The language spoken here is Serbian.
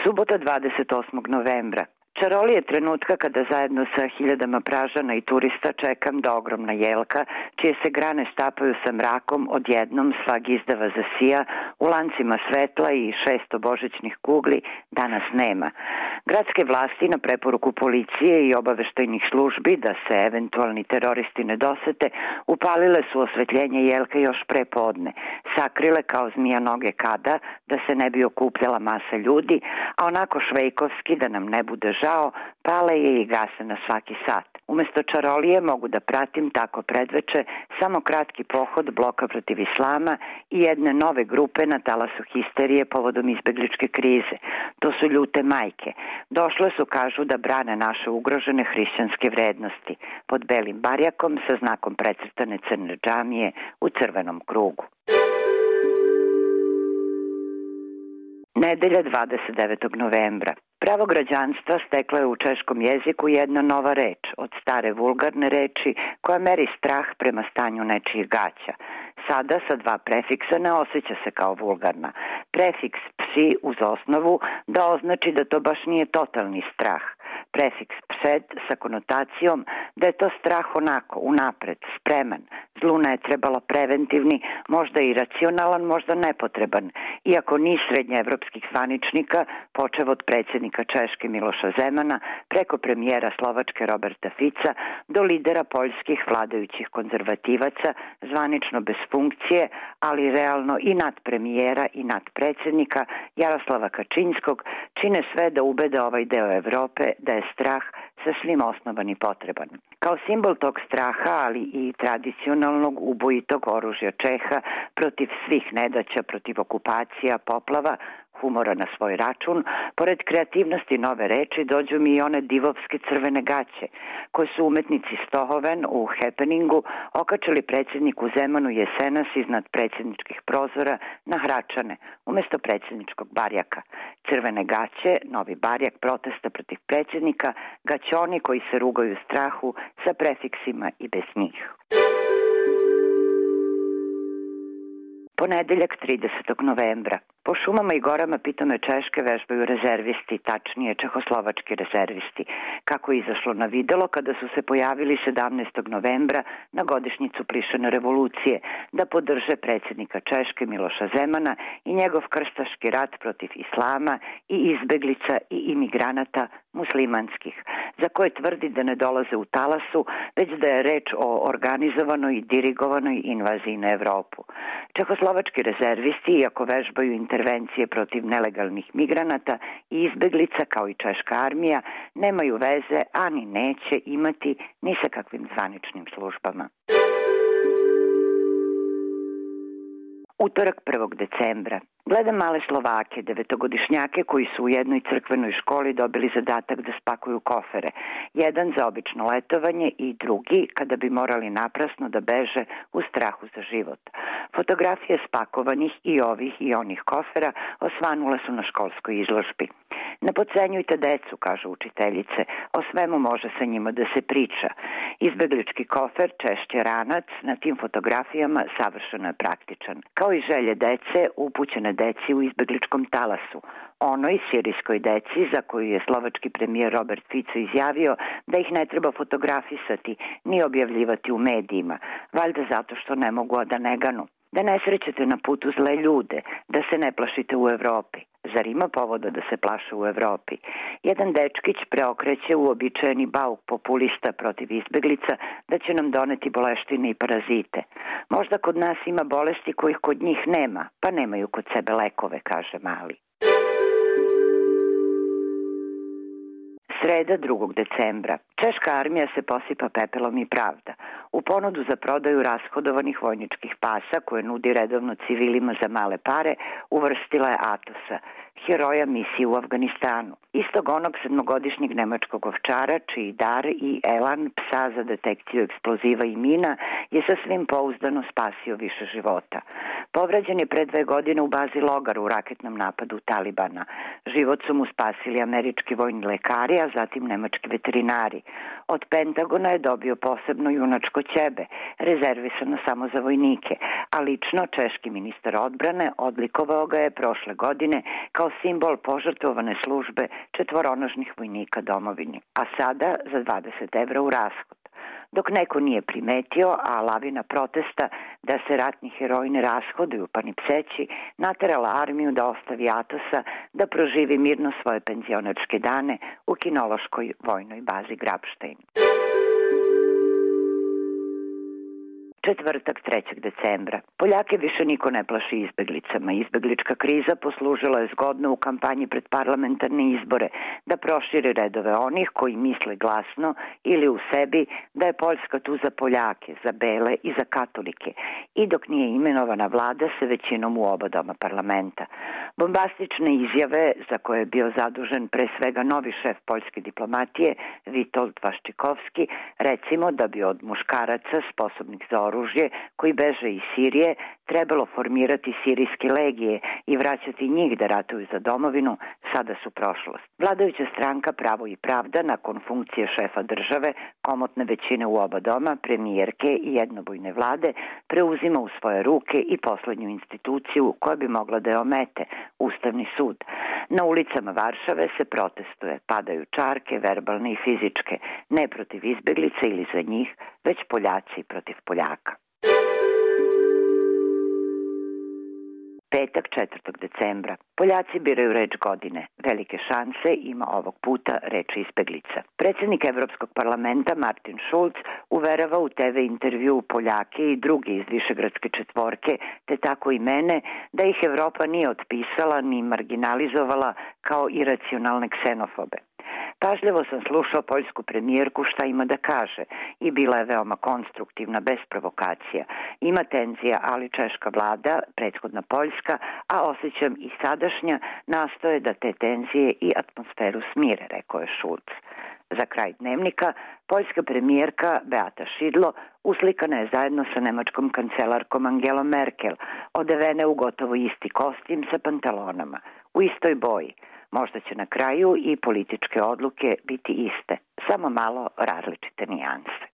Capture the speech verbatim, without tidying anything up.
Subota dvadeset osmog novembra. Čarolije je trenutka kada zajedno sa hiljadama Pražana i turista čekam da ogromna jelka, čije se grane stapaju sa mrakom, odjednom svag izdava zasija, u lancima svetla i šesto božićnih kugli danas nema. Gradske vlasti na preporuku policije i obaveštajnih službi da se eventualni teroristi ne dosete, upalile su osvetljenje jelke još pre podne, sakrile kao zmija noge kada, da se ne bi okupljala masa ljudi, a onako švejkovski da nam ne bude žao, pale je i gase na svaki sat. Umesto čarolije mogu da pratim tako predveče samo kratki pohod bloka protiv islama i jedne nove grupe na talasu histerije povodom izbegličke krize. To su ljute majke. Došle su, kažu, da brane naše ugrožene hrišćanske vrednosti pod belim barjakom sa znakom precrtane crne džamije u crvenom krugu. Nedelja dvadeset devetog novembra. Pravo građanstva steklo je u češkom jeziku jedna nova reč, od stare vulgarne reči koja meri strah prema stanju nečijih gaća. Sada sa dva prefiksa ne osjeća se kao vulgarna. Prefiks psi uz osnovu da označi da to baš nije totalni strah. Prefiks psed sa konotacijom da je to strah onako, unapred, spreman. Zlu ne je trebalo preventivni, možda i racionalan, možda nepotreban, iako ni srednjeevropskih zvaničnika, počev od predsjednika Češke Miloša Zemana, preko premijera Slovačke Roberta Fica, do lidera poljskih vladajućih konzervativaca, zvanično bez funkcije, ali realno i nad premijera i nad predsjednika Jaroslava Kačinskog, čine sve da ubede ovaj deo Evrope da je strah sasvim osnovan i potreban. Kao simbol tog straha, ali i tradicionalnog ubojitog oružja Čeha protiv svih nedaća, protiv okupacija, poplava, humora na svoj račun, pored kreativnosti nove reči dođu mi i one divovske crvene gaće, koje su umetnici Stohoven u Happeningu okačili predsjedniku Zemanu jesenas iznad predsjedničkih prozora na Hračane, umesto predsjedničkog barjaka. Crvene gaće, novi barjak protesta protiv predsjednika, gaćoni koji se rugaju strahu sa prefiksima i bez njih. Ponedeljak tridesetog novembra. Po šumama i gorama pitome Češke vežbaju rezervisti, tačnije čehoslovački rezervisti, kako je izašlo na videlo kada su se pojavili sedamnaestog novembra na godišnjicu Plišane revolucije da podrže predsjednika Češke Miloša Zemana i njegov krstaški rat protiv islama i izbeglica i imigranata muslimanskih, za koje tvrdi da ne dolaze u talasu, već da je reč o organizovanoj i dirigovanoj invaziji na Evropu. Čehoslovački rezervisti, iako vežbaju intervencije protiv nelegalnih migranata i izbeglica kao i češka armija, nemaju veze, ani neće imati ni sa kakvim zvaničnim službama. Utorak prvog decembra. Gledam male Slovake, devetogodišnjake koji su u jednoj crkvenoj školi dobili zadatak da spakuju kofere. Jedan za obično letovanje i drugi kada bi morali naprasno da beže u strahu za život. Fotografije spakovanih i ovih i onih kofera osvanule su na školskoj izložbi. Ne podcenjujte decu, kažu učiteljice, o svemu može sa njima da se priča. Izbeglički kofer, češće ranac, na tim fotografijama savršeno je praktičan. Kao i želje dece, upućene deci u izbegličkom talasu. Onoj sirijskoj deci za koju je slovački premijer Robert Fico izjavio da ih ne treba fotografisati ni objavljivati u medijima, valjda zato što ne mogu da ne ganu. Da ne srećete na putu zle ljude, da se ne plašite u Evropi. Zar ima povoda da se plaše u Evropi? Jedan dečkić preokreće uobičajeni bauk populista protiv izbeglica da će nam doneti boleštine i parazite. Možda kod nas ima bolesti kojih kod njih nema, pa nemaju kod sebe lekove, kaže mali. Sreda drugog decembra. Češka armija se posipa pepelom i pravda. U ponudu za prodaju rashodovanih vojničkih pasa koje nudi redovno civilima za male pare uvrstila je Atosa, heroja misije u Afganistanu. Istog onog sedmogodišnjeg nemačkog ovčara, čiji dar i elan psa za detekciju eksploziva i mina je sasvim pouzdano spasio više života. Povrađen je pre dve godine u bazi Logar u raketnom napadu Talibana. Život su mu spasili američki vojni lekari, a zatim nemački veterinari. Od Pentagona je dobio posebno junačko kod ćebe, rezervisano samo za vojnike, a lično češki ministar odbrane odlikovao ga je prošle godine kao simbol požrtvovane službe četvoronožnih vojnika domovini, a sada za dvadeset evra u rashod. Dok neko nije primetio, a lavina protesta da se ratni heroji ne rashoduju pa ni pseći, naterala armiju da ostavi Atosa da proživi mirno svoje penzionerske dane u kinološkoj vojnoj bazi Grabštajn. Četvrtak, trećeg decembra. Poljake više niko ne plaši izbeglicama. Izbeglička kriza poslužila je zgodno u kampanji pred parlamentarne izbore da proširi redove onih koji misle glasno ili u sebi da je Poljska tu za Poljake, za bele i za katolike, i dok nije imenovana vlada sa većinom u oba doma parlamenta. Bombastične izjave, za koje je bio zadužen pre svega novi šef poljske diplomatije Witold Vaščikovski, recimo da bi od muškaraca sposobnih za oružje koji beže iz Sirije trebalo formirati sirijske legije i vraćati njih da ratuju za domovinu, sada su prošlost. Vladajuća stranka Pravo i pravda nakon funkcije šefa države, komotne većine u oba doma, premijerke i jednobojne vlade, preuzima u svoje ruke i poslednju instituciju koja bi mogla da je omete, Ustavni sud. Na ulicama Varšave se protestuje, padaju čarke, verbalne i fizičke, ne protiv izbeglica ili za njih, već Poljaci protiv Poljaka. Petak, četvrtog decembra. Poljaci biraju reč godine. Velike šanse ima ovog puta reč izbeglica. Predsjednik Evropskog parlamenta Martin Schulz uverava u te ve intervju Poljake i druge iz Višegradske četvorke, te tako i mene, da ih Evropa nije otpisala ni marginalizovala kao iracionalne ksenofobe. Pažljivo sam slušao poljsku premijerku šta ima da kaže i bila je veoma konstruktivna, bez provokacija. Ima tenzija, ali češka vlada, prethodna poljska, a osjećam i sadašnja, nastoje da te tenzije i atmosferu smire, rekao je Schulz. Za kraj dnevnika, poljska premijerka Beata Šidlo uslikana je zajedno sa nemačkom kancelarkom Angelom Merkel, odevene u gotovo isti kostim sa pantalonama, u istoj boji. Možda će na kraju i političke odluke biti iste, samo malo različite nijanse.